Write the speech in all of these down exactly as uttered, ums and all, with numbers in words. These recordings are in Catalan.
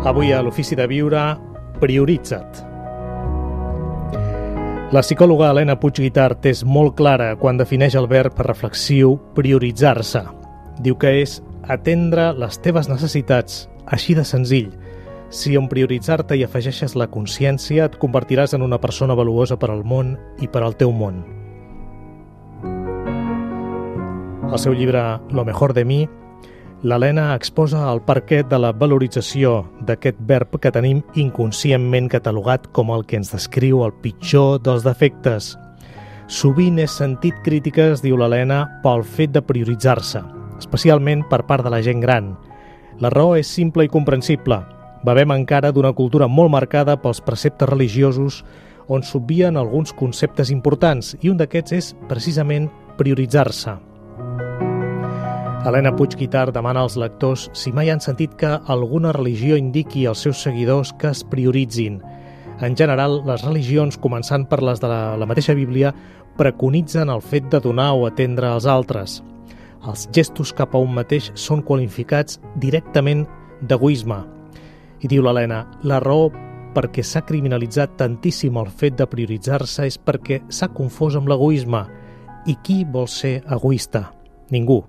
Avui a l'Ofici de Viure, prioritza't. La psicòloga Helena Puig Guitart és molt clara quan defineix el verb reflexiu prioritzar-se. Diu que és atendre les teves necessitats, així de senzill. Si en prioritzar-te hi afegeixes la consciència, et convertiràs en una persona valuosa per al món i per al teu món. Al seu llibre Lo mejor de mi, l'Helena exposa el perquè de la valorització d'aquest verb que tenim inconscientment catalogat com el que ens descriu el pitjor dels defectes. Sovint és sentit crítiques, diu l'Helena, pel fet de prioritzar-se, especialment per part de la gent gran. La raó és simple i comprensible. Bevem encara d'una cultura molt marcada pels preceptes religiosos on s'obvien alguns conceptes importants i un d'aquests és precisament prioritzar-se. Helena Puig Guitart demana als lectors si mai han sentit que alguna religió indiqui als seus seguidors que es prioritzin. En general, les religions, començant per les de la, la mateixa Bíblia, preconitzen el fet de donar o atendre als altres. Els gestos cap a un mateix són qualificats directament d'egoisme. I diu l'Helena, la raó perquè s'ha criminalitzat tantíssim el fet de prioritzar-se és perquè s'ha confós amb l'egoisme. I qui vol ser egoista? Ningú.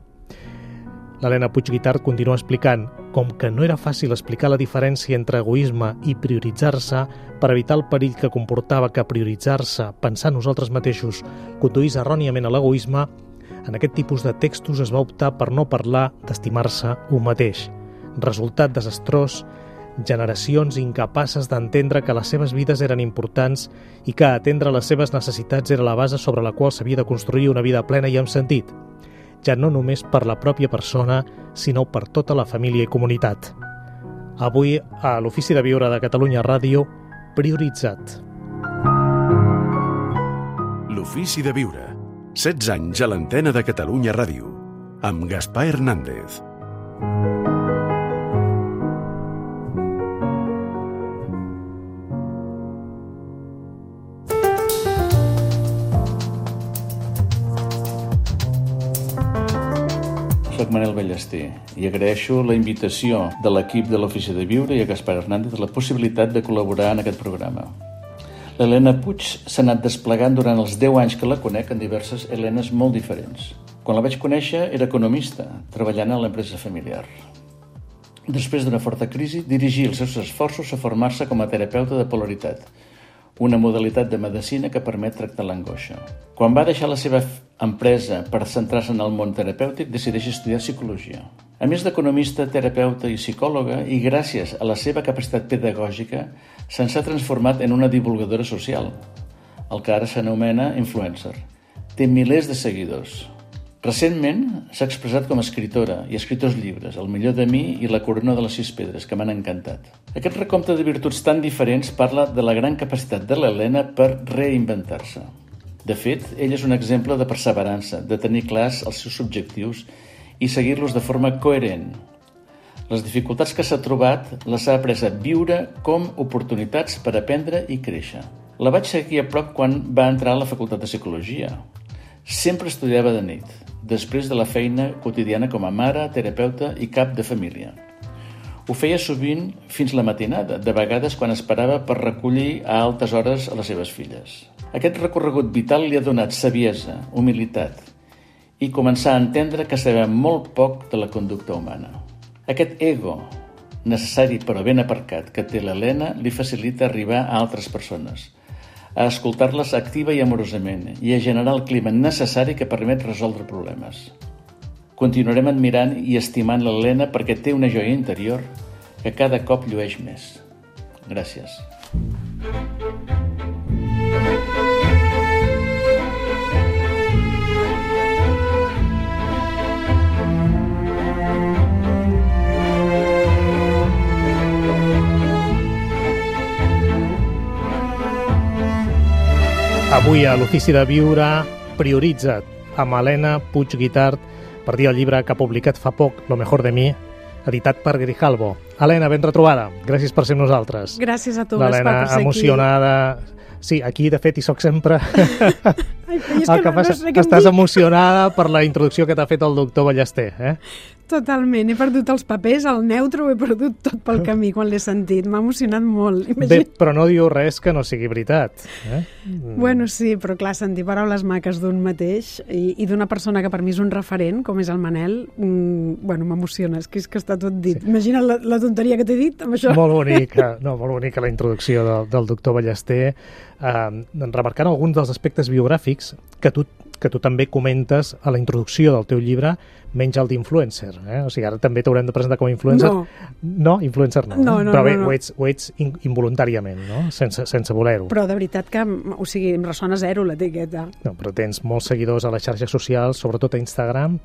L'Helena Puig Guitart continua explicant com que no era fàcil explicar la diferència entre egoisme i prioritzar-se per evitar el perill que comportava que prioritzar-se, pensar nosaltres mateixos, conduís erròniament a l'egoisme, en aquest tipus de textos es va optar per no parlar d'estimar-se un mateix. Resultat desastrós, generacions incapaces d'entendre que les seves vides eren importants i que atendre les seves necessitats era la base sobre la qual s'havia de construir una vida plena i amb sentit. Ja no només per la pròpia persona, sinó per tota la família i comunitat. Avui, a l'Ofici de Viure de Catalunya Ràdio, prioritza't. L'Ofici de Viure. setze anys a l'antena de Catalunya Ràdio. Amb Gaspar Hernández. Soc Manel Ballester i agraeixo la invitació de l'equip de l'Ofici de Viure i a Gaspar Hernández la possibilitat de col·laborar en aquest programa. L'Helena Puig s'ha anat desplegant durant els deu anys que la conec en diverses Helenes molt diferents. Quan la vaig conèixer era economista, treballant a l'empresa familiar. Després d'una forta crisi, dirigí els seus esforços a formar-se com a terapeuta de polaritat, una modalitat de medicina que permet tractar l'angoixa. Quan va deixar la seva empresa per centrar-se en el món terapèutic, decideix estudiar psicologia. A més d'economista, terapeuta i psicòloga, i gràcies a la seva capacitat pedagògica, se'n s'ha transformat en una divulgadora social, el que ara s'anomena influencer. Té milers de seguidors. Recentment s'ha expressat com a escriptora i ha escrit dos llibres, El millor de mi i La corona de les sis pedres, que m'han encantat. Aquest recompte de virtuts tan diferents parla de la gran capacitat de l'Helena per reinventar-se. De fet, ella és un exemple de perseverança, de tenir clars els seus objectius i seguir-los de forma coherent. Les dificultats que s'ha trobat les ha après a viure com oportunitats per aprendre i créixer. La vaig seguir a prop quan va entrar a la Facultat de Psicologia. Sempre estudiava de nit, després de la feina quotidiana com a mare, terapeuta i cap de família. Ho feia sovint fins la matinada, de vegades quan esperava per recollir a altes hores a les seves filles. Aquest recorregut vital li ha donat saviesa, humilitat i començar a entendre que sabem molt poc de la conducta humana. Aquest ego, necessari però ben aparcat, que té l'Helena li facilita arribar a altres persones, a escoltar-les activa i amorosament i a generar el clima necessari que permet resoldre problemes. Continuarem admirant i estimant l'Helena perquè té una joia interior que cada cop llueix més. Gràcies. Avui a l'Ofici de Viure, prioritza't, amb Helena Puig Guitart, per dir el llibre que ha publicat fa poc, Lo mejor de mi, editat per Grijalbo. Helena, ben retrobada. Gràcies per ser amb nosaltres. Gràcies a tu, Gaspar, per ser aquí. L'Helena emocionada. Sí, aquí de fet hi soc sempre. Ai, és el que no, passa, no sé què estàs em dic. emocionada per la introducció que t'ha fet el doctor Ballester, eh? Totalment, he perdut els papers, el neutro ho he perdut tot pel camí quan l'he sentit, m'ha emocionat molt. Bé, Imagina... però no diu res que no sigui veritat. Eh? Bueno, sí, però clar, sentir paraules maques d'un mateix i, i d'una persona que per mi és un referent, com és el Manel, mmm, bueno, m'emociona, és que, és que està tot dit. Sí. Imagina la, la tonteria que t'he dit amb això. Molt bonica, no, molt bonica la introducció del, del doctor Ballester, eh, remarcant alguns dels aspectes biogràfics que tu, que tu també comentes a la introducció del teu llibre, menys el d'influencer. Eh? O sigui, ara també t'haurem de presentar com a influencer. No. No, influencer no. No, eh? no, Però bé, no, no. ho ets, ho ets in, involuntàriament, no? Sense, sense voler-ho. Però de veritat que, o sigui, em ressona zero l'etiqueta. No, però tens molts seguidors a les xarxes socials, sobretot a Instagram.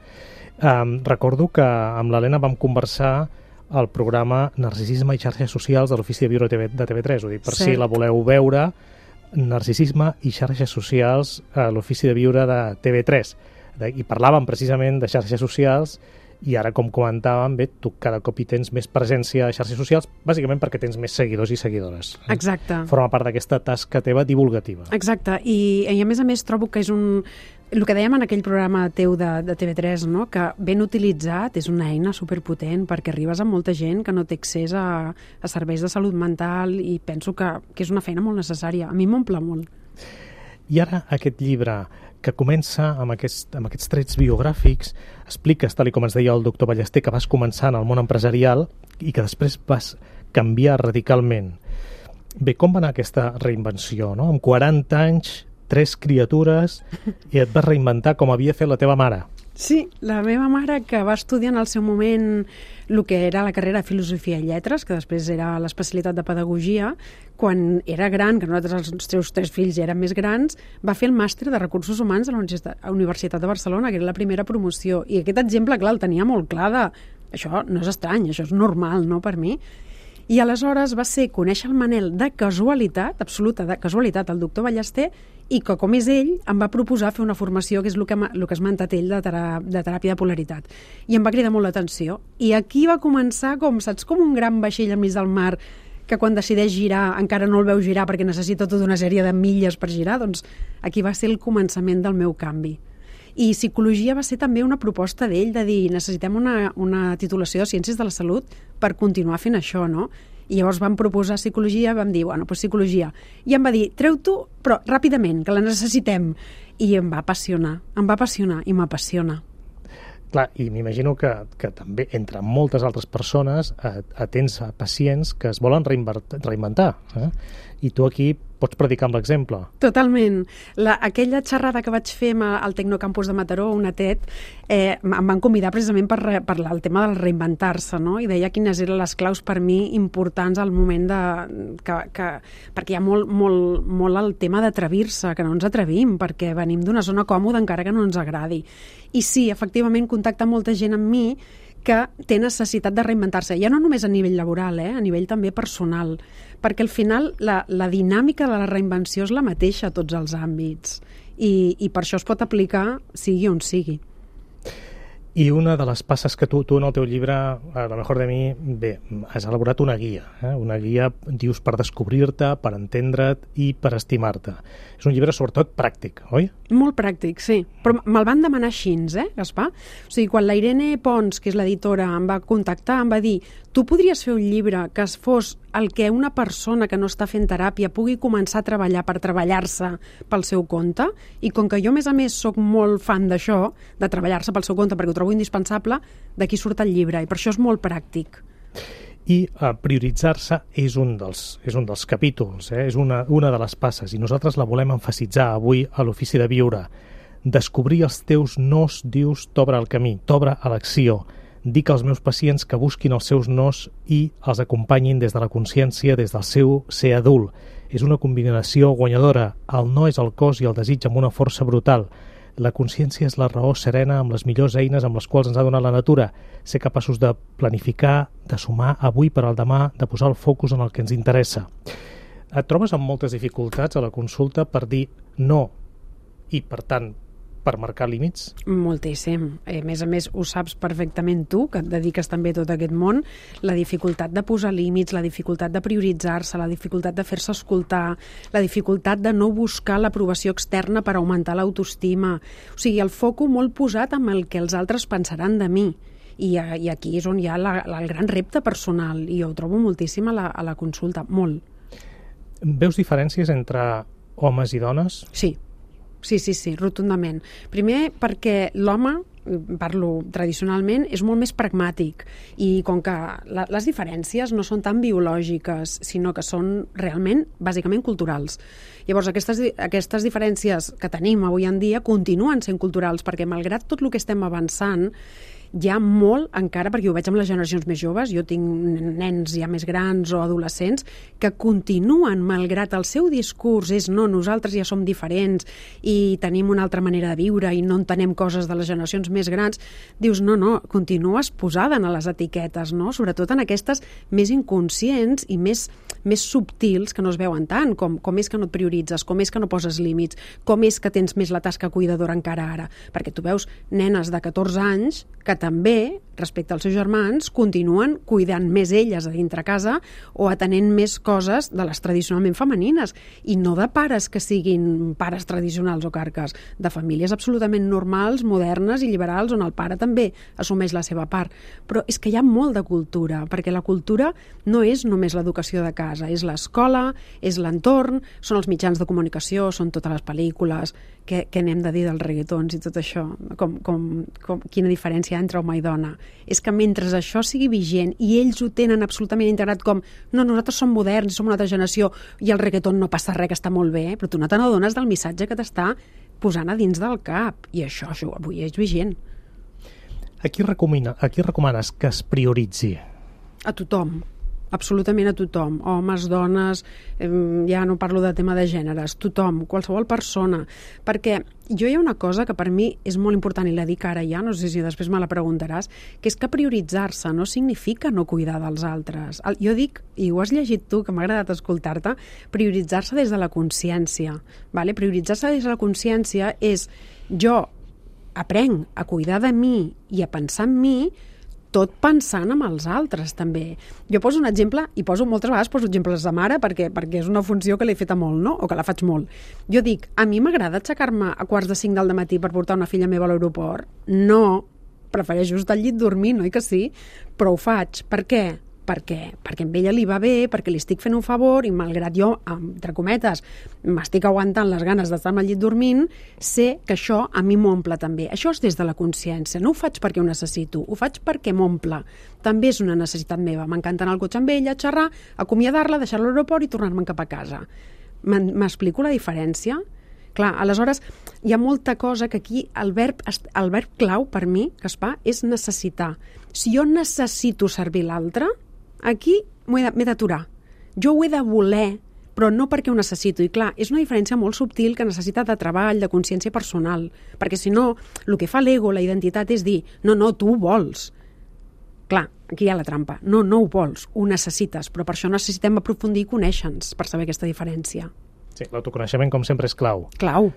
Um, recordo que amb l'Helena vam conversar al programa Narcisisme i xarxes socials de l'Ofici de Viure de T V tres. Ho dic per Cert. si la voleu veure, Narcisisme i xarxes socials a l'Ofici de Viure de T V tres. I parlàvem precisament de xarxes socials i ara, com comentàvem, bé, tu cada cop hi tens més presència a xarxes socials, bàsicament perquè tens més seguidors i seguidores. Exacte. Forma part d'aquesta tasca teva divulgativa. Exacte, I, i a més a més trobo que és un... El que dèiem en aquell programa teu de, de T V tres, no? Que ben utilitzat és una eina superpotent perquè arribes a molta gent que no té accés a, a serveis de salut mental i penso que, que és una feina molt necessària. A mi m'omple molt. I ara aquest llibre que comença amb, aquest, amb aquests trets biogràfics, expliques, tal com ens deia el doctor Ballester, que vas començar en el món empresarial i que després vas canviar radicalment. Bé, com va anar aquesta reinvenció, no? Amb quaranta anys, tres criatures, i et vas reinventar com havia fet la teva mare. Sí, la meva mare, que va estudiar en el seu moment el que era la carrera de Filosofia i Lletres, que després era l'especialitat de Pedagogia, quan era gran, que nosaltres els seus tres fills ja eren més grans, va fer el màster de Recursos Humans a la Universitat de Barcelona, que era la primera promoció. I aquest exemple, clar, el tenia molt clar de... Això no és estrany, això és normal, no?, per mi. I aleshores va ser conèixer el Manel de casualitat, absoluta de casualitat, el doctor Ballester, i que, com és ell, em va proposar fer una formació, que és el que, el que ha esmentat ell de, tera, de teràpia de polaritat. I em va cridar molt l'atenció. I aquí va començar, com saps, com un gran vaixell enmig del mar, que quan decideix girar encara no el veu girar perquè necessita tota una sèrie de milles per girar, doncs aquí va ser el començament del meu canvi. I psicologia va ser també una proposta d'ell de dir necessitem una, una titulació de Ciències de la Salut per continuar fent això, no? I llavors vam proposar psicologia, vam dir, bueno, doncs psicologia. I em va dir, treu-t'ho, però ràpidament, que la necessitem. I em va apassionar, em va apassionar i m'apassiona. Clar, i m'imagino que, que també, entre moltes altres persones, atens a pacients que es volen reinventar. Eh? I tu aquí pots predicar amb l'exemple. Totalment. La, aquella xerrada que vaig fer al Tecnocampus de Mataró, una TED, eh, em van convidar precisament per parlar el tema del reinventar-se, no? I deia quines eren les claus per mi importants al moment de... Que, que, perquè hi ha molt, molt, molt el tema d'atrevir-se, que no ens atrevim, perquè venim d'una zona còmoda encara que no ens agradi. I sí, efectivament, contacta molta gent amb mi que té necessitat de reinventar-se, ja no només a nivell laboral, eh? A nivell també personal, perquè al final la, la dinàmica de la reinvenció és la mateixa a tots els àmbits i, i per això es pot aplicar sigui on sigui. I una de les passes que tu, tu en el teu llibre, a lo mejor de mi, bé, has elaborat una guia, eh? Una guia, dius, per descobrir-te, per entendre't i per estimar-te. És un llibre sobretot pràctic, oi? Molt pràctic, sí. Però me'l van demanar així, eh, Gaspar? O sigui, quan la Irene Pons, que és l'editora, em va contactar, em va dir tu podries fer un llibre que es fos el que una persona que no està fent teràpia pugui començar a treballar per treballar-se pel seu compte, i com que jo, a més a més, sóc molt fan d'això, de treballar-se pel seu compte, perquè ho trobo indispensable, d'aquí surt el llibre, i per això és molt pràctic. I uh, prioritzar-se és un dels, és un dels capítols, eh? És una, una de les passes, i nosaltres la volem emfasitzar avui a l'Ofici de Viure. Descobrir els teus nos, dius, t'obre el camí, t'obre a l'acció. Dic als meus pacients que busquin els seus nos i els acompanyin des de la consciència, des del seu ser adult. És una combinació guanyadora. El no és el cos i el desig amb una força brutal. La consciència és la raó serena amb les millors eines amb les quals ens ha donat la natura. Ser capaços de planificar, de sumar avui per al demà, de posar el focus en el que ens interessa. Et trobes amb moltes dificultats a la consulta per dir no i, per tant, per marcar límits? Moltíssim. A més a més, ho saps perfectament tu, que et dediques també a tot aquest món, la dificultat de posar límits, la dificultat de prioritzar-se, la dificultat de fer-se escoltar, la dificultat de no buscar l'aprovació externa per augmentar l'autoestima. O sigui, el foco molt posat amb el que els altres pensaran de mi. I, i aquí és on hi ha la, la, el gran repte personal, i ho trobo moltíssim a la, a la consulta, molt. Veus diferències entre homes i dones? Sí. Sí, sí, sí, rotundament. Primer perquè l'home, parlo tradicionalment, és molt més pragmàtic i com que la, les diferències no són tan biològiques, sinó que són realment, bàsicament, culturals. Llavors, aquestes, aquestes diferències que tenim avui en dia continuen sent culturals perquè, malgrat tot el que estem avançant, hi ha molt encara, perquè ho veig amb les generacions més joves, jo tinc nens ja més grans o adolescents, que continuen, malgrat el seu discurs és no, nosaltres ja som diferents i tenim una altra manera de viure i no entenem coses de les generacions més grans, dius, no, no, continues posada a les etiquetes, no? Sobretot en aquestes més inconscients i més, més subtils que no es veuen tant, com, com és que no et prioritzes, com és que no poses límits, com és que tens més la tasca cuidadora encara ara, perquè tu veus nenes de catorze anys que també, respecte als seus germans, continuen cuidant més elles a dintre casa o atenent més coses de les tradicionalment femenines, i no de pares que siguin pares tradicionals o carques, de famílies absolutament normals, modernes i liberals, on el pare també assumeix la seva part. Però és que hi ha molt de cultura, perquè la cultura no és només l'educació de casa, és l'escola, és l'entorn, són els mitjans de comunicació, són totes les pel·lícules, què, què n'hem de dir dels reggaetons i tot això, com, com, com, quina diferència entre home i dona. És que mentre això sigui vigent i ells ho tenen absolutament integrat com no, nosaltres som moderns, som una altra generació i el reggaeton no passa res, que està molt bé, però tu no te n'adones del missatge que t'està posant a dins del cap, i això, això avui és vigent. A qui, recomana, a qui recomanes que es prioritzi? A tothom. Absolutament a tothom, homes, dones, eh, ja no parlo de tema de gèneres, tothom, qualsevol persona, perquè jo hi ha una cosa que per mi és molt important i la dic ara ja, no sé si després me la preguntaràs, que és que prioritzar-se no significa no cuidar dels altres. Jo dic, i ho has llegit tu, que m'ha agradat escoltar-te, prioritzar-se des de la consciència. Vale? Prioritzar-se des de la consciència és jo aprenc a cuidar de mi i a pensar en mi, tot pensant en els altres, també. Jo poso un exemple, i poso moltes vegades poso exemples de mare, perquè, perquè és una funció que l'he feta molt, no? O que la faig molt. Jo dic, a mi m'agrada aixecar-me a quarts de cinc del matí per portar una filla meva a l'aeroport? No, prefereixo estar al llit dormint, oi que sí? Però ho faig. Per què? Perquè, perquè amb ella li va bé, perquè li estic fent un favor, i malgrat jo, entre cometes, m'estic aguantant les ganes d'estar al llit dormint, sé que això a mi m'omple també. Això és des de la consciència. No ho faig perquè ho necessito, ho faig perquè m'omple. També és una necessitat meva. M'encanta anar al cotxe amb ella, xerrar, acomiadar-la, deixar-la a l'aeroport i tornar-me'n cap a casa. M'explico la diferència? Clar, aleshores, hi ha molta cosa que aquí el verb, el verb clau per mi, que es fa, és necessitar. Si jo necessito servir l'altre, aquí m'he d'aturar. Jo ho he de voler, però no perquè ho necessito. I clar, és una diferència molt subtil que necessita de treball, de consciència personal, perquè si no, el que fa l'ego, la identitat, és dir, no, no, tu ho vols. Clar, aquí hi ha la trampa. No, no ho vols, ho necessites, però per això necessitem aprofundir i conèixer-nos per saber aquesta diferència. Sí, l'autoconeixement, com sempre, és clau. Clau.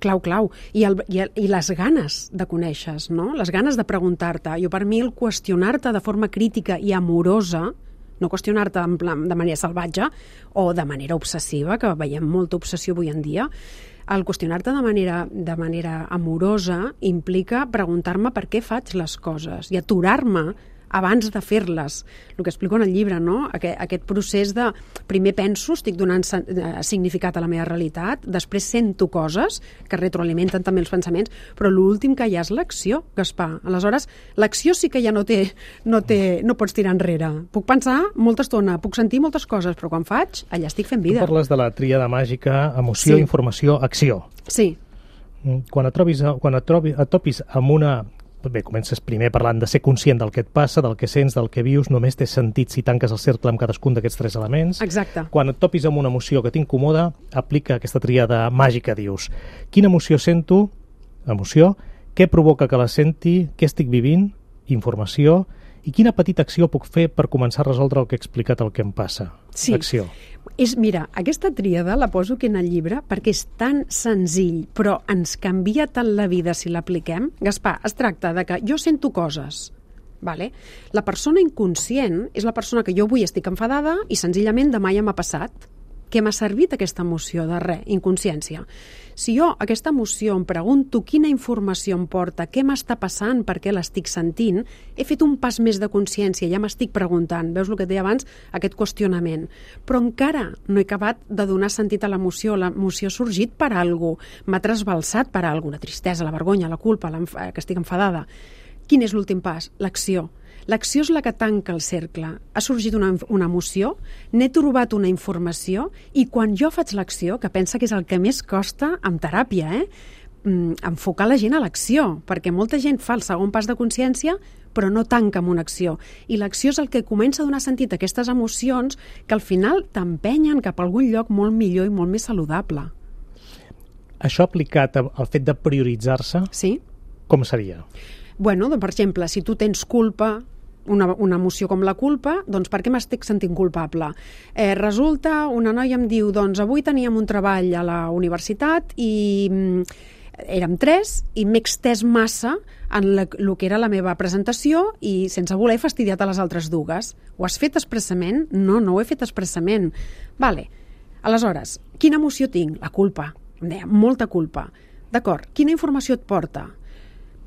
Clau, clau. I, el, i, el, i les ganes de conèixer, no? Les ganes de preguntar-te. Jo, per mi, el qüestionar-te de forma crítica i amorosa, no qüestionar-te en plan de manera salvatge o de manera obsessiva, que veiem molta obsessió avui en dia, el qüestionar-te de manera, de manera amorosa implica preguntar-me per què faig les coses i aturar-me abans de fer-les. El que explico en el llibre, no? Aquest, aquest procés de primer penso, estic donant significat a la meva realitat, després sento coses que retroalimenten també els pensaments, però l'últim que hi ha és l'acció, Gaspar. Aleshores, l'acció sí que ja no té, no té, no pots tirar enrere. Puc pensar molta estona, puc sentir moltes coses, però quan faig, allà estic fent vida. Tu parles de la tríada màgica, emoció, sí. Informació, acció. Sí. Quan et trobis, quan et, trobi, et topis amb una... Bé, comences primer parlant de ser conscient del que et passa, del que sents, del que vius, només té sentit si tanques el cercle amb cadascun d'aquests tres elements. Exacte. Quan et topis amb una emoció que t'incomoda, aplica aquesta tríada màgica, dius. Quina emoció sento? Emoció. Què provoca que la senti? Què estic vivint? Informació. I quina petita acció puc fer per començar a resoldre el que he explicat, el que em passa? Sí. Acció. És, mira, aquesta tríada la poso aquí en el llibre perquè és tan senzill, però ens canvia tant la vida si l'apliquem. Gaspar, es tracta de que jo sento coses, vale? La persona inconscient és la persona que jo avui estic enfadada i senzillament demà ja m'ha passat. Què m'ha servit aquesta emoció? De res, inconsciència. Si jo aquesta emoció em pregunto quina informació em porta, què m'està passant, per què l'estic sentint, he fet un pas més de consciència, ja m'estic preguntant. Veus el que et deia abans? Aquest qüestionament. Però encara no he acabat de donar sentit a l'emoció. L'emoció ha sorgit per alguna cosa, m'ha trasbalsat per alguna cosa, la tristesa, la vergonya, la culpa, que estic enfadada. Quin és l'últim pas? L'acció. L'acció és la que tanca el cercle. Ha sorgit una, una emoció, n'he trobat una informació i quan jo faig l'acció, que pensa que és el que més costa en teràpia, eh? enfocar la gent a l'acció, perquè molta gent fa el segon pas de consciència però no tanca amb una acció. I l'acció és el que comença a donar sentit a aquestes emocions que al final t'empenyen cap a algun lloc molt millor i molt més saludable. Això aplicat al fet de prioritzar-se, sí? Com seria? Bueno, doncs, per exemple, si tu tens culpa, una, una emoció com la culpa, doncs per què m'estic sentint culpable? Eh, resulta, una noia em diu, doncs avui teníem un treball a la universitat i mm, érem tres i m'he extès massa en la, el que era la meva presentació i sense voler he fastidiat a les altres dues. Ho has fet expressament? No, no ho he fet expressament. Vale. Aleshores, quina emoció tinc? La culpa. Em deia, molta culpa. D'acord, quina informació et porta?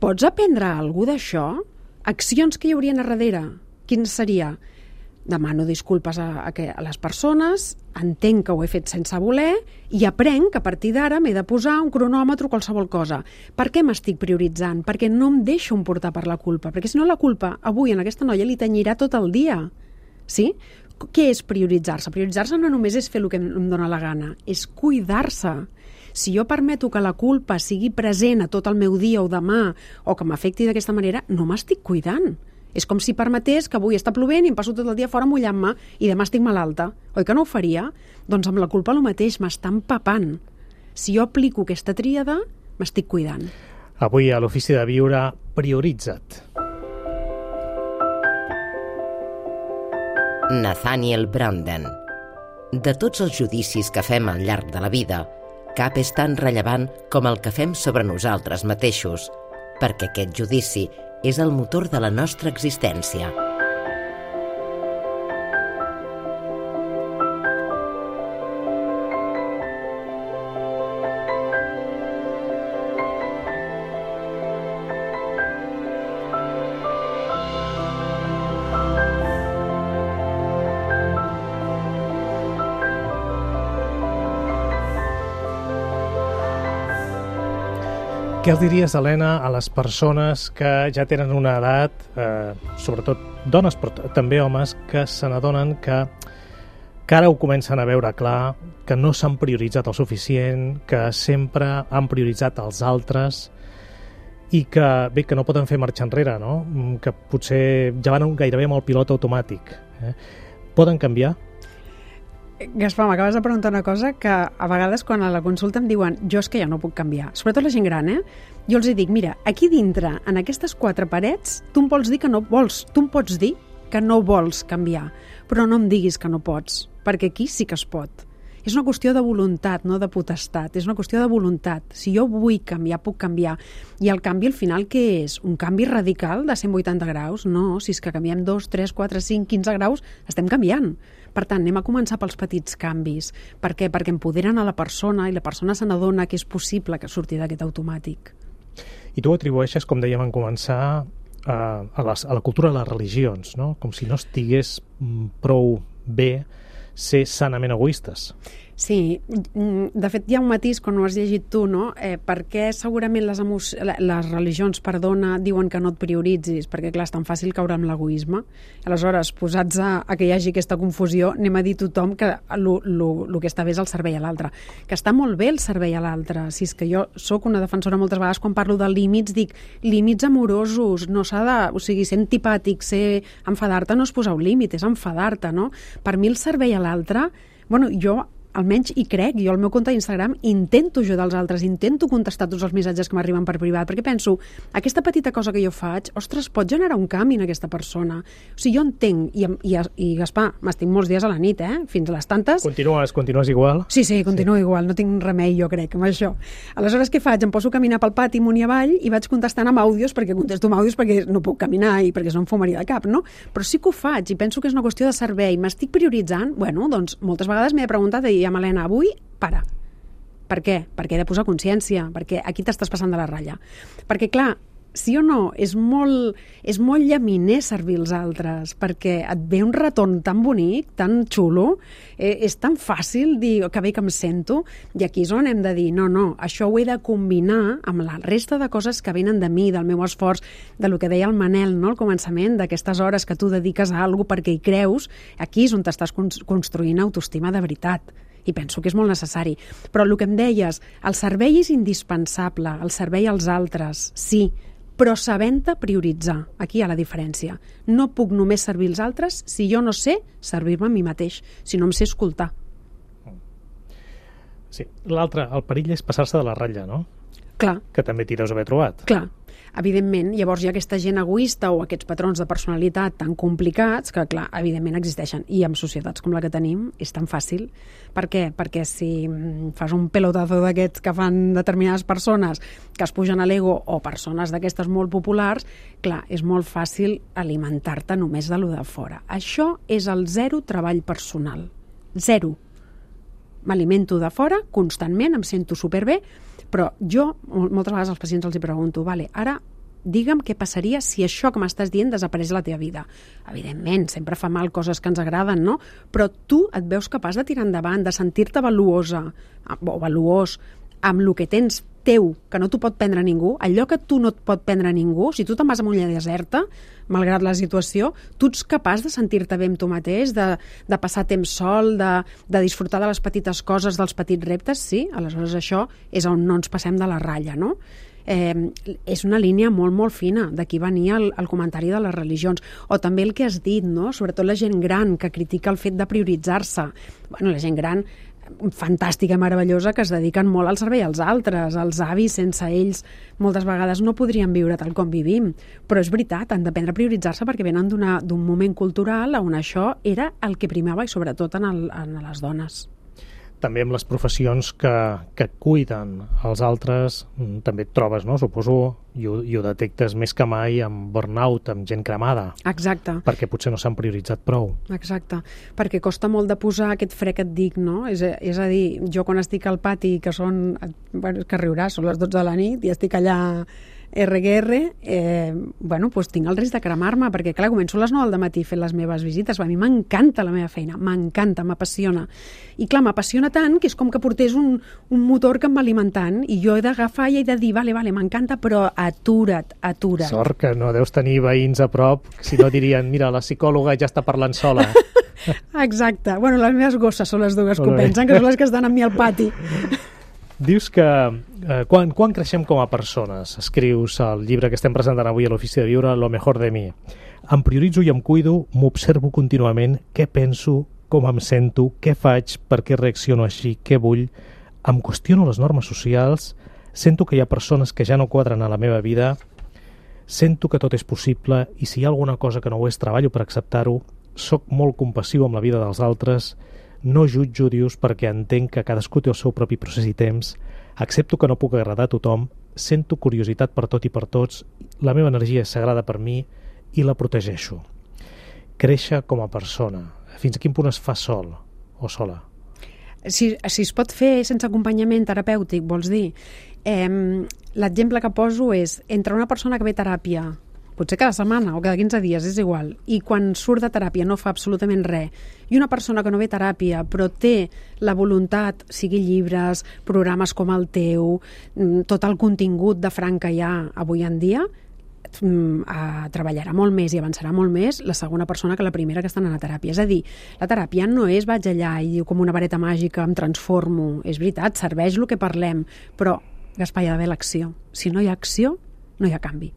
Pots aprendre alguna cosa d'això? Accions que hi haurien a darrere? Quin seria? Demano disculpes a, a, a les persones, entenc que ho he fet sense voler i aprenc que a partir d'ara m'he de posar un cronòmetre o qualsevol cosa. Per què m'estic prioritzant? Perquè no em deixo emportar per la culpa. Perquè si no la culpa avui en aquesta noia li tenyirà tot el dia. Sí? Què és prioritzar-se? Prioritzar-se no només és fer el que em dóna la gana, és cuidar-se. Si jo permeto que la culpa sigui present a tot el meu dia o demà o que m'afecti d'aquesta manera, no m'estic cuidant. És com si permetés que avui està plovent i em passo tot el dia fora mullant-me i demà estic malalta. Oi que no ho faria? Doncs amb la culpa el mateix, m'està empapant. Si jo aplico aquesta tríada, m'estic cuidant. Avui a l'Ofici de Viure, prioritza't. Nathaniel Branden. De tots els judicis que fem al llarg de la vida, cap és tan rellevant com el que fem sobre nosaltres mateixos, perquè aquest judici és el motor de la nostra existència. Què els diries, Helena, a les persones que ja tenen una edat, eh, sobretot dones, però també homes, que se n'adonen que, que ara ho comencen a veure clar, que no s'han prioritzat el suficient, que sempre han prioritzat els altres i que, bé, que no poden fer marxa enrere, no? Que potser ja van gairebé amb el pilot automàtic. Eh? Poden canviar? Gaspar, m'acabes de preguntar una cosa que a vegades quan a la consulta em diuen jo és que ja no puc canviar, sobretot la gent gran, eh? Jo els dic, mira, aquí dintre, en aquestes quatre parets, tu em vols dir que no vols, tu em pots dir que no vols canviar, però no em diguis que no pots, perquè aquí sí que es pot. És una qüestió de voluntat, no de potestat, és una qüestió de voluntat. Si jo vull canviar, puc canviar. I el canvi al final què és? Un canvi radical de cent vuitanta graus? No, si és que canviem dos, tres, quatre, cinc, quinze graus, estem canviant. Per tant, anem a començar pels petits canvis. Per què? Perquè empoderen a la persona i la persona se n'adona que és possible que surti d'aquest automàtic. I tu ho atribueixes, com dèiem en començar, a, a, les, a la cultura de les religions, no? Com si no estigués prou bé ser sanament egoistes. Sí, de fet hi ha un matís quan ho has llegit tu, no? Eh, per què segurament les, les religions, perdona, diuen que no et prioritzis? Perquè clar, és tan fàcil caure amb l'egoisme. Aleshores, posats a, a que hi hagi aquesta confusió, anem a dir tothom que el que està bé és el servei a l'altre. Que està molt bé el servei a l'altre. Si és que jo sóc una defensora moltes vegades quan parlo de límits, dic límits amorosos, no s'ha de... O sigui, ser antipàtic, ser... enfadar-te no és posar un límit, és enfadar-te, no? Per mi el servei a l'altre... Bueno, jo almenys hi crec. Jo al meu compte d'Instagram intento ajudar els altres, intento contestar tots els missatges que m'arriben per privat, perquè penso, aquesta petita cosa que jo faig, ostres, pot generar un canvi en aquesta persona. O sigui, jo entenc, i, i, i Gaspar, m'estic molts dies a la nit, eh? Fins a les tantes. Continues, continues igual? Sí, sí, continuo sí. igual, no tinc remei, jo crec, amb això. Aleshores, què faig? Em poso a caminar pel pati amunt i avall i vaig contestant amb àudios, perquè contesto amb àudios perquè no puc caminar i perquè no em fumaria de cap, no? Però sí que ho faig i penso que és una qüestió de servei. M'estic prioritzant? Bueno, doncs moltes vegades m'he preguntat i ja, Helena, avui, para. Per què? Perquè he de posar consciència, perquè aquí t'estàs passant de la ratlla. Perquè, clar, sí o no, és molt, és molt llaminer servir els altres, perquè et ve un retorn tan bonic, tan xulo, eh, és tan fàcil dir que bé que em sento, i aquí és on hem de dir, no, no, això ho he de combinar amb la resta de coses que venen de mi, del meu esforç, de lo que deia el Manel, no?, al començament, d'aquestes hores que tu dediques a alguna cosa perquè hi creus, aquí és on t'estàs construint autoestima de veritat. I penso que és molt necessari. Però el que em deies, el servei és indispensable, el servei als altres, sí, però sabent-te prioritzar. Aquí hi ha la diferència. No puc només servir els altres si jo no sé servir-me a mi mateix, si no em sé escoltar. Sí, l'altre, el perill és passar-se de la ratlla, no? Clar. Que també t'hi deus haver trobat. Clar. Evidentment, llavors hi ha aquesta gent egoista o aquests patrons de personalitat tan complicats que, clar, evidentment existeixen. I en societats com la que tenim és tan fàcil. Per què? Perquè si fas un pelotazo d'aquests que fan determinades persones que es pugen a l'ego o persones d'aquestes molt populars, clar, és molt fàcil alimentar-te només de lo de fora. Això és el zero treball personal. Zero. M'alimento de fora constantment, em sento superbé, però jo moltes vegades als pacients els hi pregunto, vale, ara digue'm què passaria si això que m'estàs dient desapareix de la teva vida. Evidentment, sempre fa mal coses que ens agraden, no? Però tu et veus capaç de tirar endavant, de sentir-te valuosa o valuós amb el que tens teu, que no t'ho pot prendre ningú, allò que tu no et pot prendre ningú, si tu te'n vas a una illa deserta, malgrat la situació, tu ets capaç de sentir-te bé amb tu mateix, de, de passar temps sol, de, de disfrutar de les petites coses, dels petits reptes, sí, aleshores això és on no ens passem de la ratlla, no? Eh, és una línia molt, molt fina. D'aquí venia el, el comentari de les religions. O també el que has dit, no? Sobretot la gent gran, que critica el fet de prioritzar-se. Bueno, la gent gran fantàstica i meravellosa que es dediquen molt al servei als altres, als avis, sense ells moltes vegades no podrien viure tal com vivim, però és veritat, han d'aprendre a prioritzar-se perquè venen d'un moment cultural on això era el que primava i sobretot en, el, en les dones. També amb les professions que, que cuiden els altres també et trobes, no? Suposo, i ho, i ho detectes més que mai amb burnout, amb gent cremada. Exacte. Perquè potser no s'han prioritzat prou. Exacte, perquè costa molt de posar aquest fre que et dic, no? És, és a dir, jo quan estic al pati, que són, bueno, que riuràs, són les dotze de la nit i estic allà erre que erre, eh, bueno, doncs tinc el risc de cremar-me, perquè clar, començo a les nou del matí fent les meves visites, a mi m'encanta la meva feina, m'encanta, m'apassiona, i clar, m'apassiona tant que és com que portés un, un motor que em va alimentant, i jo he d'agafar i he de dir, vale, vale, m'encanta, però atura't, atura't. Sort que no deus tenir veïns a prop, si no dirien, mira, la psicòloga ja està parlant sola. Exacte, bueno, les meves gosses són les dues que ho pensen, que són les que estan amb mi al pati. Dius que eh, quan, quan creixem com a persones, escrius el llibre que estem presentant avui a l'Ofici de Viure, Lo mejor de mi. Em prioritzo i em cuido, m'observo contínuament, què penso, com em sento, què faig, per què reacciono així, què vull, em qüestiono les normes socials, sento que hi ha persones que ja no quadren a la meva vida, sento que tot és possible i si hi ha alguna cosa que no ho és, treballo per acceptar-ho, soc molt compassiu amb la vida dels altres, no jutjo, dius, perquè entenc que cadascú té el seu propi procés i temps, accepto que no puc agradar a tothom, sento curiositat per tot i per tots, la meva energia és sagrada per mi i la protegeixo. Créixer com a persona, fins a quin punt es fa sol o sola? Si, si es pot fer sense acompanyament terapèutic, vols dir? Eh, l'exemple que poso és entre una persona que ve a teràpia potser cada setmana o cada quinze dies, és igual, i quan surt de teràpia no fa absolutament res, i una persona que no ve a teràpia però té la voluntat, sigui llibres, programes com el teu, tot el contingut de franc que hi ha avui en dia, a, treballarà molt més i avançarà molt més la segona persona que la primera que està anant a teràpia. És a dir, la teràpia no és vaig allà i diu com una vareta màgica em transformo, és veritat, serveix el que parlem, però, Gaspar, hi ha d'haver l'acció. Si no hi ha acció, no hi ha canvi.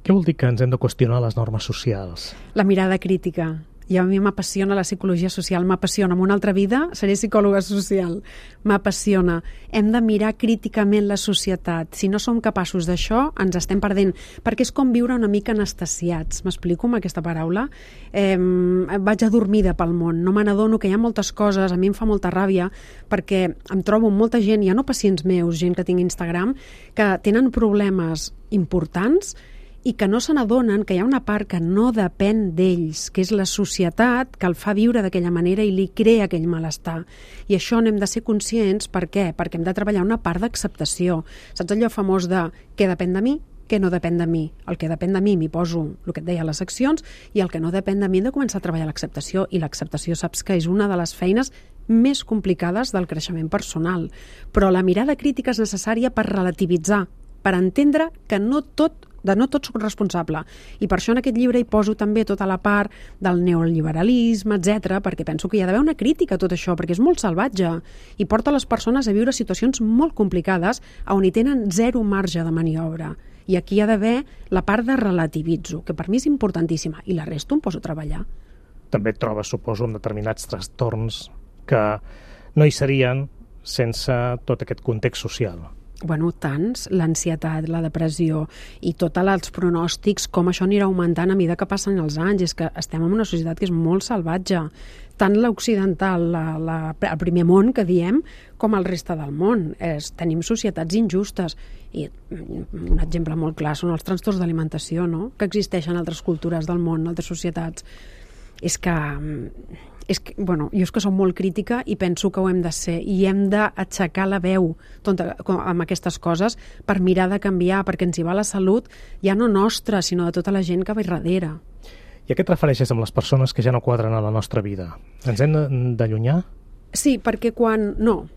Què vol dir que ens hem de qüestionar les normes socials? La mirada crítica. I a mi m'apassiona la psicologia social, m'apassiona. En una altra vida seré psicòloga social. M'apassiona. Hem de mirar críticament la societat. Si no som capaços d'això, ens estem perdent. Perquè és com viure una mica anestesiats. M'explico amb aquesta paraula? Eh, vaig adormida pel món. No me n'adono que hi ha moltes coses. A mi em fa molta ràbia perquè em trobo amb molta gent, ja no pacients meus, gent que tinc Instagram, que tenen problemes importants i que no se n'adonen que hi ha una part que no depèn d'ells, que és la societat que el fa viure d'aquella manera i li crea aquell malestar. I això n'hem de ser conscients. Per què? Perquè hem de treballar una part d'acceptació. Saps allò famós de què depèn de mi, què no depèn de mi? El que depèn de mi m'hi poso el que et deia a les seccions i el que no depèn de mi hem de començar a treballar l'acceptació. I l'acceptació saps que és una de les feines més complicades del creixement personal. Però la mirada crítica és necessària per relativitzar, per entendre que no tot de no tot soc responsable. I per això en aquest llibre hi poso també tota la part del neoliberalisme, etcètera, perquè penso que hi ha d'haver una crítica a tot això, perquè és molt salvatge i porta les persones a viure situacions molt complicades on hi tenen zero marge de maniobra. I aquí hi ha d'haver la part de relativitzo, que per mi és importantíssima, i la resta em poso a treballar. També et trobes, suposo, amb determinats trastorns que no hi serien sense tot aquest context social. Bueno, tants, l'ansietat, la depressió i tots els pronòstics, com això anirà augmentant a mesura que passen els anys. És que estem en una societat que és molt salvatge, tant l'occidental, la, la, el primer món que diem, com el reste del món. És, tenim societats injustes. I un exemple molt clar són els trastorns d'alimentació, no?, que existeixen en altres cultures del món, en altres societats. És que... És que, bueno, jo és que som molt crítica i penso que ho hem de ser i hem d'aixecar la veu tonta, amb aquestes coses per mirar de canviar, perquè ens hi va la salut ja no nostra, sinó de tota la gent que va darrere. I a què et refereixes amb les persones que ja no quadren a la nostra vida? Ens hem d'allunyar? Sí, perquè quan... No,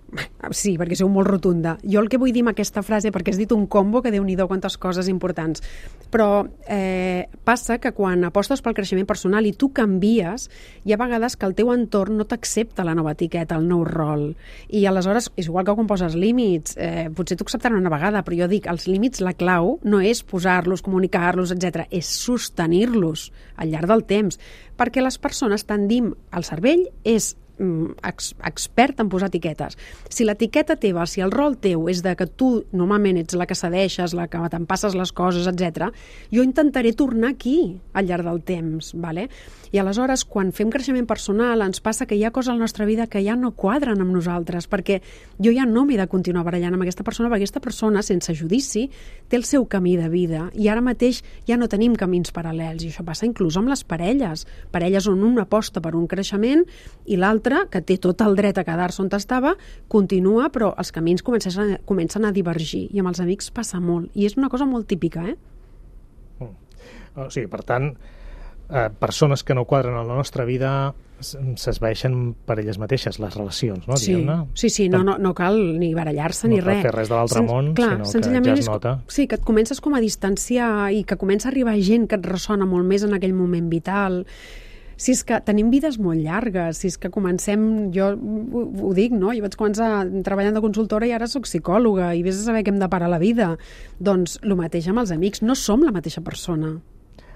sí, perquè sou molt rotunda. Jo el que vull dir amb aquesta frase, perquè has dit un combo que Déu-n'hi-do quantes coses importants, però eh, passa que quan apostes pel creixement personal i tu canvies, hi ha vegades que el teu entorn no t'accepta la nova etiqueta, el nou rol. I aleshores, és igual que quan poses límits, eh, potser t'ho acceptaran una vegada, però jo dic, els límits, la clau no és posar-los, comunicar-los, etcètera, és sostenir-los al llarg del temps, perquè les persones tendim, el cervell és Ex, expert en posar etiquetes. Si l'etiqueta teva, si el rol teu és de que tu normalment ets la que cedeixes, la que te'n passes les coses, etcètera, jo intentaré tornar aquí al llarg del temps, vale? I aleshores, quan fem creixement personal, ens passa que hi ha coses a la nostra vida que ja no quadren amb nosaltres, perquè jo ja no m'he de continuar barallant amb aquesta persona, perquè aquesta persona, sense judici, té el seu camí de vida, i ara mateix ja no tenim camins paral·lels, i això passa inclús amb les parelles. Parelles on una aposta per un creixement i l'altra, que té tot el dret a quedar-se on estava, continua, però els camins comencen a, comencen a divergir, i amb els amics passa molt, i és una cosa molt típica, eh? O sigui, per tant, Eh, persones que no quadren a la nostra vida s'esvaeixen per elles mateixes, les relacions, no? Sí, sí, sí, no, no, no cal ni barallar-se no ni res. No cal fer res de l'altre món, clar, sinó que ja es nota. És, sí, que et comences com a distanciar i que comença a arribar gent que et ressona molt més en aquell moment vital. Si és que tenim vides molt llargues, si és que comencem, jo ho, ho dic, no? Jo vaig començar treballant de consultora i ara sóc psicòloga i vés a saber què em depara la vida. Doncs el mateix amb els amics, no som la mateixa persona.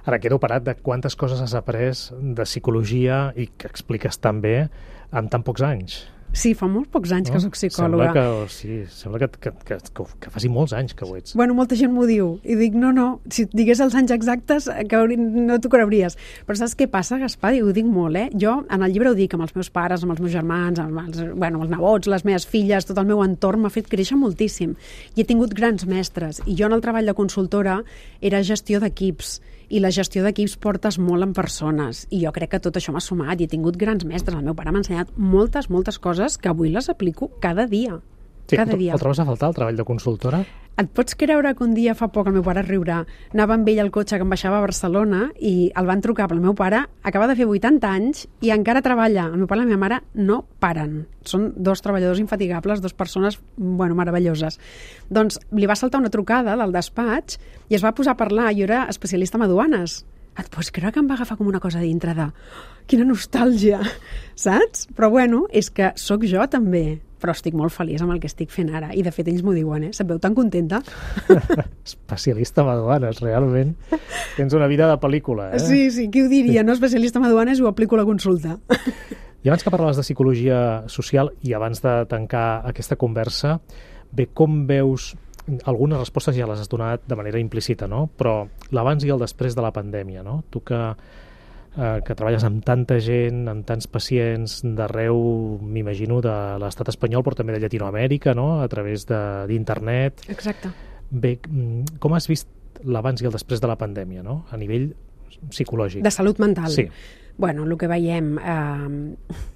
Ara quedo parat de quantes coses has après de psicologia i que expliques tan bé en tan pocs anys. Sí, fa molts pocs anys no? que soc psicòloga. Sembla que, sí, sembla que, que, que, que, que faci molts anys que ho ets. Bueno, molta gent m'ho diu. I dic, no, no, si et digués els anys exactes que no t'ho creuries. Però saps què passa, Gaspar? I ho dic molt, eh? Jo en el llibre ho dic amb els meus pares, amb els meus germans, amb els, bueno, els nebots, les meves filles, tot el meu entorn m'ha fet créixer moltíssim. I he tingut grans mestres. I jo en el treball de consultora era gestió d'equips. I la gestió d'equips portes molt en persones. I jo crec que tot això m'ha sumat i he tingut grans mestres. El meu pare m'ha ensenyat moltes, moltes coses que avui les aplico cada dia. Sí, cada dia. El trobes a faltar, el treball de consultora? Et pots creure que un dia fa poc el meu pare riurà, anava amb ell al cotxe que em baixava a Barcelona i el van trucar pel meu pare, acaba de fer vuitanta anys i encara treballa. El meu pare i la meva mare no paren. Són dos treballadors infatigables, dues persones, bueno, meravelloses. Doncs li va saltar una trucada del despatx i es va posar a parlar. Jo era especialista en aduanes. Et pots creure que em va agafar com una cosa dintre de... Quina nostàlgia, saps? Però bueno, és que sóc jo també. però estic molt feliç amb el que estic fent ara. I de fet ells m'ho diuen, eh? Se't veu tan contenta? Especialista en aduanes, realment. Tens una vida de pel·lícula, eh? Sí, sí, qui ho diria, no? Especialista en aduanes, ho aplico a la consulta. I abans que parlaves de psicologia social i abans de tancar aquesta conversa, bé, com veus, algunes respostes ja les has donat de manera implícita, no? Però l'abans i el després de la pandèmia, no? Tu que, eh, que treballes amb tanta gent, amb tants pacients d'arreu, m'imagino, de l'estat espanyol, però també de Llatinoamèrica, no? A través d'internet. Exacte. Bé, com has vist l'abans i el després de la pandèmia, no? A nivell psicològic. De salut mental. Sí. Bueno, el que veiem... Eh,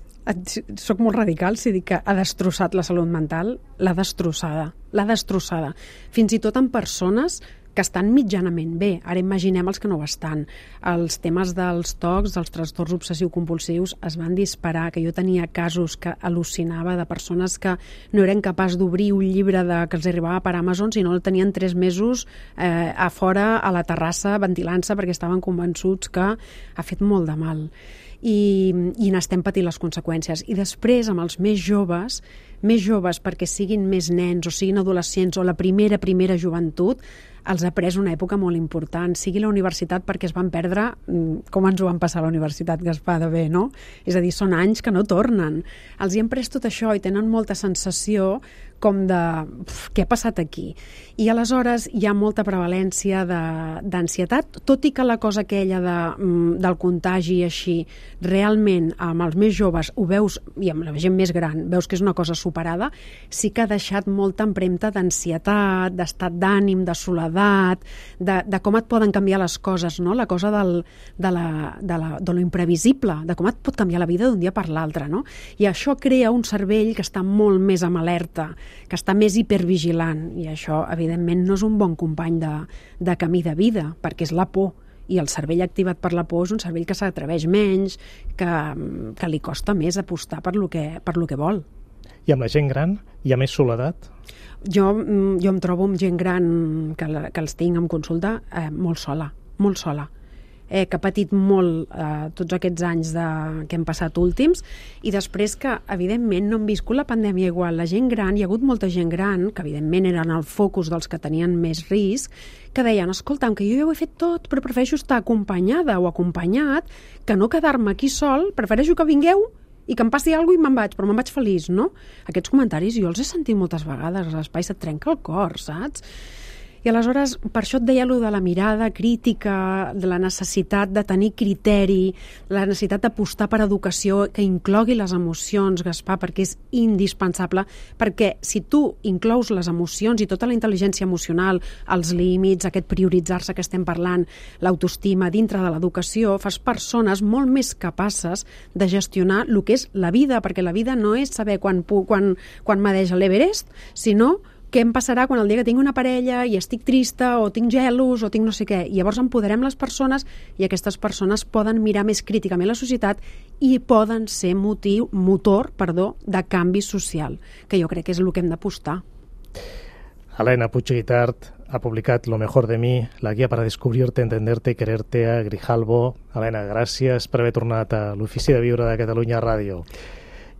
soc molt radical si dic que ha destrossat la salut mental, l'ha destrossada, l'ha destrossada. Fins i tot en persones que estan mitjanament bé. Ara imaginem els que no ho estan. Els temes dels tocs, dels trastorns obsessiu-compulsius es van disparar, que jo tenia casos que al·lucinava de persones que no eren capaços d'obrir un llibre de, que els arribava per Amazon, sinó el tenien tres mesos eh, a fora a la terrassa ventilant-se perquè estaven convençuts que ha fet molt de mal. I, i n'estem patint les conseqüències. I després, amb els més joves, més joves perquè siguin més nens o siguin adolescents o la primera, primera joventut, els ha pres una època molt important, sigui la universitat perquè es van perdre, com ens ho van passar a la universitat, Gaspar, de bé, no? És a dir, són anys que no tornen. Els hi han pres tot això i tenen molta sensació com de uf, què ha passat aquí? I aleshores hi ha molta prevalència d'ansietat, tot i que la cosa aquella de, del contagi i així, realment amb els més joves ho veus, i amb la gent més gran, veus que és una cosa superada, sí que ha deixat molta empremta d'ansietat, d'estat d'ànim, de soledat, de, de com et poden canviar les coses, no? La cosa del, de, la, de, la, de lo imprevisible, de com et pot canviar la vida d'un dia per l'altre, no? I això crea un cervell que està molt més amb alerta, que està més hipervigilant, i això, evidentment, no és un bon company de, de camí de vida, perquè és la por, i el cervell activat per la por és un cervell que s'atreveix menys, que, que li costa més apostar per lo que, per lo que vol. I amb la gent gran hi ha més soledat? Jo, jo em trobo amb gent gran que, que els tinc en consulta eh, molt sola, molt sola. Eh, que ha patit molt eh, tots aquests anys de, que hem passat últims, i després que, evidentment, no hem viscut la pandèmia igual. La gent gran, hi ha hagut molta gent gran, que evidentment eren el focus dels que tenien més risc, que deien, escolta'm, que jo ja ho he fet tot, però prefereixo estar acompanyada o acompanyat que no quedar-me aquí sol, prefereixo que vingueu i que em passi alguna cosa i me'n vaig, però me'n vaig feliç, no? Aquests comentaris jo els he sentit moltes vegades, l'espai se't trenca el cor, saps? I aleshores, per això et deia allò de la mirada crítica, de la necessitat de tenir criteri, la necessitat d'apostar per educació que inclogui les emocions, Gaspar, perquè és indispensable, perquè si tu inclous les emocions i tota la intel·ligència emocional, els límits, aquest prioritzar-se que estem parlant, l'autoestima dintre de l'educació, fas persones molt més capaces de gestionar el que és la vida, perquè la vida no és saber quan, quan, quan m'adeix l'Everest, sinó què em passarà quan el dia que tinc una parella i estic trista o tinc gelos o tinc no sé què. I llavors empoderem les persones i aquestes persones poden mirar més críticament la societat i poden ser motiu, motor perdó, de canvi social, que jo crec que és el que hem d'apostar. Elena Puig-Guitart ha publicat Lo mejor de mí, la guia para descubrirte, entenderte y quererte a Grijalbo. Elena, gràcies per haver tornat a l'Ofici de Viure de Catalunya Ràdio.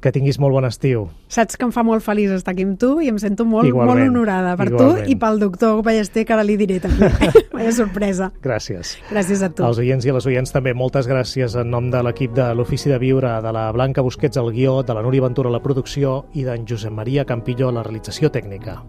Que tinguis molt bon estiu. Saps que em fa molt feliç estar aquí amb tu i em sento molt, igualment, molt honorada per igualment. Tu i pel doctor Ballester, que ara li diré també. Vaya sorpresa. Gràcies. Gràcies a tu. Als oients i a les oients també, moltes gràcies en nom de l'equip de l'Ofici de Viure, de la Blanca Busquets al guió, de la Núria Ventura a la producció i d'en Josep Maria Campillo a la realització tècnica.